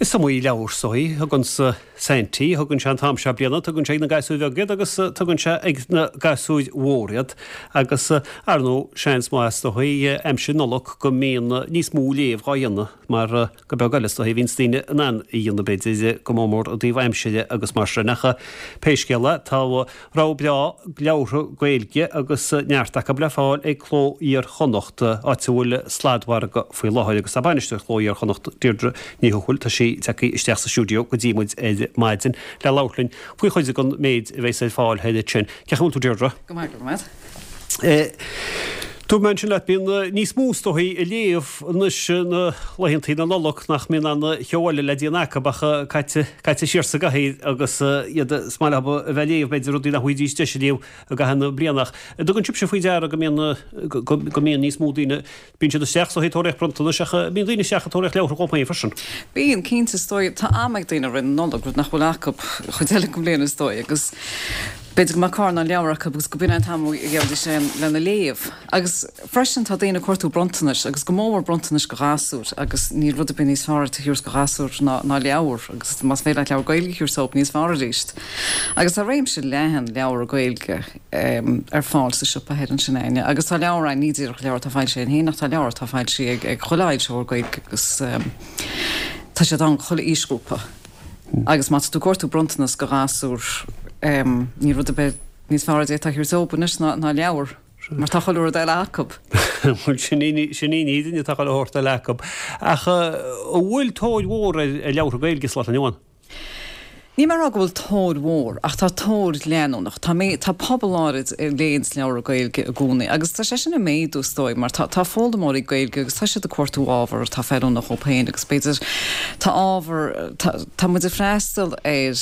Is iomaí leabhar is dóigh a thugann Saintí, thugann sé an t-am seo bliana, tugann sé ag na gasúir bheaga iad agus tugann sé ag na gasúir mhóra iad. Agus, ar ndóigh, seans maith is dóigh, aimsir Nollag go mbíonn níos mó léamh dhá dhéanamh mar gur beag eile is dóigh a bhíonns daoine in ann a dhéanamh b'fhéidir, go mór mór i dtaobh aimsire agus mar sin. Ach pé scéal é, tá rogha breá leabhartha Gaeilge agus neart acu le fáil ag Cló Iar-Chonnacht, áit a bhfuil sladmhargadh faoi láthair. Agus tá bainisteoir Chló Iar-Chonnacht, Deirdre Ní Thuathail, tá sí tagtha isteach sa stiúideo go dtí muid ar maidin le labhairt linn faoi chuid den méid a bheas ar fáil thoir ansin. Cén chaoi a bhfuil tú, Deirdre? Go maith, go raibh maith agat. Dúirt mé ansin leat, bíonn níos mó is dóigh ag léamh anois na laethantaí na Nollag nach mbíonn aon cheo eile le déanamh acu ach caite caite siar sa gcathaoir agus iad is maith leo a bheith ag léamh b'fhéidir rudaí nach bhfaighidís deis a léamh i gcaitheamh na bliana ach an dtugann sibhse faoi deara go mbíonn go mbíonn níos mó daoine Bíonn siad isteach is dóigh ag tóraíocht bronntanais ach bíonn daoine isteach ag tóraíocht leabhartha dhóibh féin freisin. Bíonn, cinnte, is dóigh. Tá am ag daoine i rith na Nollag, rud nach bhfuil acu chuid eile den bhliain is dóigh, agus b'fhéidir go mbeadh carnán leabhar acu agus go b'in é an t-am a gheobhaidís é lena léamh. Agus freisin tá daoine ag cuartú bronntanais agus go mór mór bronntanais go ghasúir agus níl rud ar bith níos fearr a thabhairt go ghasúr ná ná leabhar agus más féidir leat leabhar Gaeilge a thabhairt dóibh níos fearr arís. Agus tá réimse leathan leabhar Gaeilge. ar fáil sa siopa thoir ansin Áine. Agus tá leabhair ann, ní díreach leabhair atá foilsithe againn féin ach tá leabhair atá foilsithe ag chuile fhoilsitheoir Gaeilge agus tá siad ann chuile aoisghrúpa. Agus má tá tú ag cuartú bronntanas go ghasúr níl rud ar bith níos fearr a d'fhéadfá a thabhairt dóibh anois ná leabhar mar tá chuile rud eile acu. Bhuel sin í an fhírinne tá chuile shórt eile acu. Ach an bhfuil tóir mhór ar leabhartha Gaeilge sa lá atá inniu ann? Níl mé ag rá go bhfuil tóir mhór, ach tá tóir leanúnach. Tá mé, tá pobal áirid a léanns leabhra Gaeilge i gcónaí agus tá sé sin ag méadú is dóigh mar tá, tá foghlaimeoirí Gaeilge agus tá siad ag cuartú ábhar atá feiliúnach dhóibh féin agus b'fhéidir tá ábhar, tá, tá muid ag freastal ar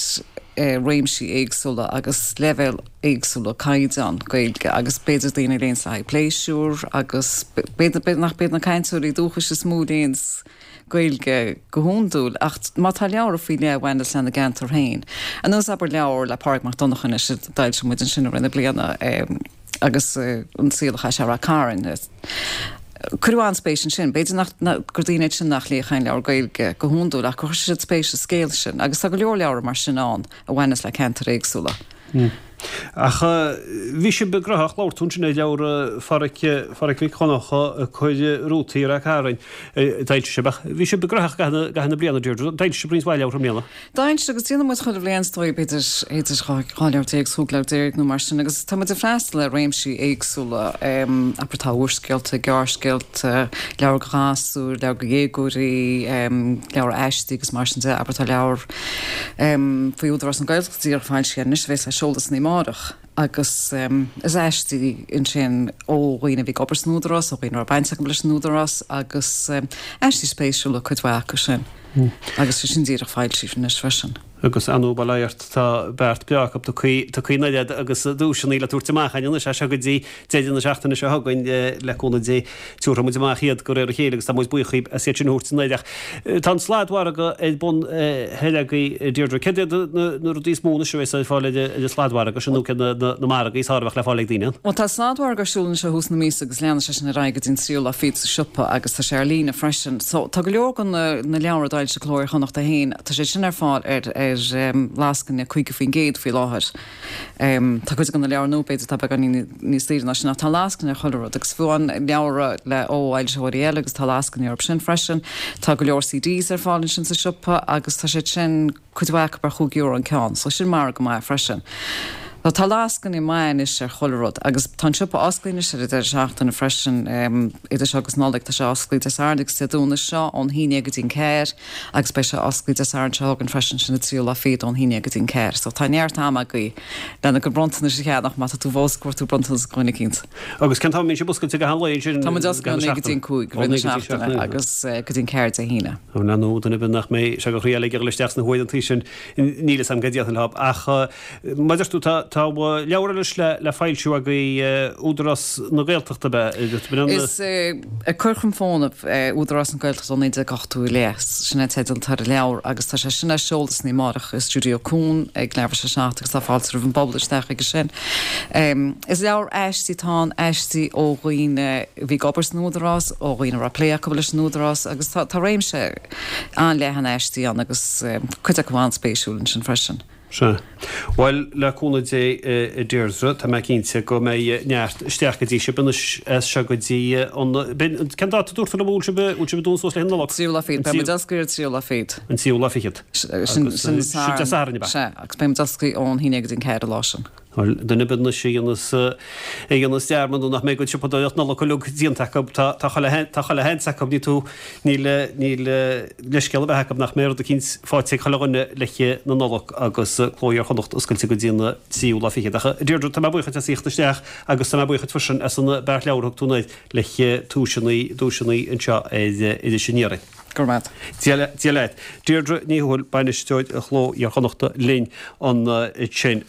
réimsí éagsúla agus leibhéil éagsúla caighdeán Gaeilge agus b'fhéidir daoine a léanns le haghaidh pléisiúr agus b'fhéidir, b'fhéidir nach b'iad na cainteoirí dúchais is mó a léanns Gaeilge go hiondúil, ach má tá leabhar faoi leith a bhaineas lena gceantar féin, ar nós abair leabhar le Pádraig Mac Donncha anois a d'fhoilsigh muid ansin i rith na bliana agus an saol a chaith sé i Rath Cairn, cuireadh an-spéis ansin. B'fhéidir nach, gur daoine iad sin nach léifeadh aon leabhar Gaeilge go hiondúil ach gur chuir siad spéis sa scéal sin agus tá go leor leabhar mar sin ann a bhaineas le ceantair éagsúla. Ach bhí sibh gnóthach, labhair tú ansin ar leabhar Pháraic, Pháraic Mhic Dhonncha ag cur rútaí i Rath Cairn, d'fhoilsigh sibh, ach bhí sibh gnóthach i gcaitheamh na bliana, Deirdre, d'fhoilsigh sibh roinnt mhaith leabhar i mbliana. D'fhoilsigh agus déanann muid chuile bhliain is dóigh, b'fhéidir, idir 12 leabhar is 15 leabhar nó mar sin agus tá muid ag freastal ar réimsí éagsúla, abair tá úrscéalta, gearrscéalta, leabhair go ghasúir, leabhair go dhéagóirí, leabhair aistí agus mar sin de, abair tá leabhar faoi Údarás na Gaeltachta díreach foilsithe anois a bheas le seoladh san amárach agus is aistí ansin ó dhaoine a bhí ag obair san Údarás, ó dhaoine a raibh baint acu leis an Údarás agus aistí spéisiúla cuid mhaith acu sin agus sin díreach foilsithe anois freisin. Agus ar ndóigh bail ó Dhia ort tá beart breá acu tugtha anuraidh agus duaiseanna le tabhairt amach againn anois as seo go dtí deireadh na seachtaine seo chugainn le cúnamh Dé. Tabharfaidh muid amach iad de réir a chéile agus tá muid buíoch dhaoib as iad sin a thabhairt anuraidh. Ach tá an sladmhargadh ar bun thoir agaibh, Deirdre. Céard iad na rudaí is mó anois a bheas ar fáil ar an sladmhargadh sin nó céard na margaí is fearr a bheadh le fáil ag daoine ann? Bhuel tá sladmhargadh ar siúl anois ó thús na míosa agus leanfaidh sé sin ar aghaidh go dtí an tríú lá fichead sa siopa agus tá sé ar líne freisin. So tá go leor de na leabhair a d'fhoilsigh Cló Iar-Chonnachta féin, tá siad sin ar fáil ar ar lascaine 50% faoi láthair. Tá cuid de na leabhair nua b'fhéidir atá beagáinín níos daoire ná sin ach tá lascaine ar chuile rud agus fiú amháin leabhra le ó fhoilsitheoirí eile agus tá lascaine orthu sin freisin. Tá go leor CDs ar fáil ansin sa siopa agus tá siad sin cuid mhaith acu ar chúig euro an ceann so sin margadh maith freisin. So tá lascaine maith anois ar chuile rud agus tá an siopa oscailte anois ar an deireadh seachtaine freisin idir seo agus Nollaig tá sé oscailte Dé Sathairn agus Dé Domhnaigh seo ón haon déag go dtí an ceathair. Agus beidh sé oscailte Dé Sathairn seo chugainn freisin, sin an tríú lá fichead ón haon déag go dtí an ceathair. So tá neart ama agaibh lena gcuid bronntanais a cheannach má tá tú fós ag cuartú bronntanas do dhuine eicínt. Agus cén t-am a mbíonn sibh oscailte gach aon lae ansin? Tá muid oscailte ó naoi go dtí an cúig i rith na seachtaine agus go dtí an ceathair Dé hAoine. Ar ndóigh, duine ar bith nach mbeidh sé de chroí eile ag dul isteach sna huaireanta sin, níl fhios a'm cad a déarfainn leob. Ach mar a deir tú, tá. Tá leabhar anois le foilsiú agaibh, Údarás na Gaeltachta ab ea? Is Ag Cur Chun Fónaimh, Údarás na Gaeltachta ó 1980 i leith, sin é an teideal atá ar an leabhar agus tá sé sin á seoladh san oíche amárach i Stiúideo Cuan ag leathuair tar éis a 7 agus tá fáilte roimh an bpobal isteach chuige sin. Is leabhar aistí atá ann, aistí ó dhaoine a bhí ag obair san Údarás, ó dhaoine a raibh plé acu leis an Údarás agus tá réimse an-leathan aistí ann agus cuid acu an-spéisiúil ansin freisin. Sea. Bhuel, le cúnamh Dé, a Deirdre, tá mé cinnte go mbeidh neart isteach go dtí sibh anois as seo go dtí an, b'in, cén dáta a dúirt tú liom a bhfuil sibh, bhfuil sibh ag dúnadh suas le haghaidh Nollag? Tríú lá fichead. Beidh muid oscailte ar an tríú lá fichead. An tríú lá fichead. Sin, sin Sin Dé Sathairn, ab ea? Sea, agus beidh muid oscailte ón haon déag go dtí an ceathair an lá sin. Bhuel, duine ar bith anois a dhéanas, a dhéanas dearmad nó nach mbeidh a gcuid siopadóireacht Nollag uilig déanta acu, tá, tá chuile, tá chuile sheans acu, ní tú, níl, níl leithscéal ar bith acu nach mbeidh rud eicínt faighte ag chuile dhuine le haghaidh na Nollag agus Cló Iar-Chonnacht oscailte go dtí an tríú lá fichead. Ach a Deirdre, tá mé buíoch duit as a thíocht isteach agus tá mé buíoch duit freisin as an beart leabhar a thug tú anoir le haghaidh duaiseanna, duaiseanna anseo ar Iris Aniar. Go raibh maith agat. Dia leat. Deirdre Ní Thuathail, Bainisteoir Chló Iar-Chonnachta linn ansin.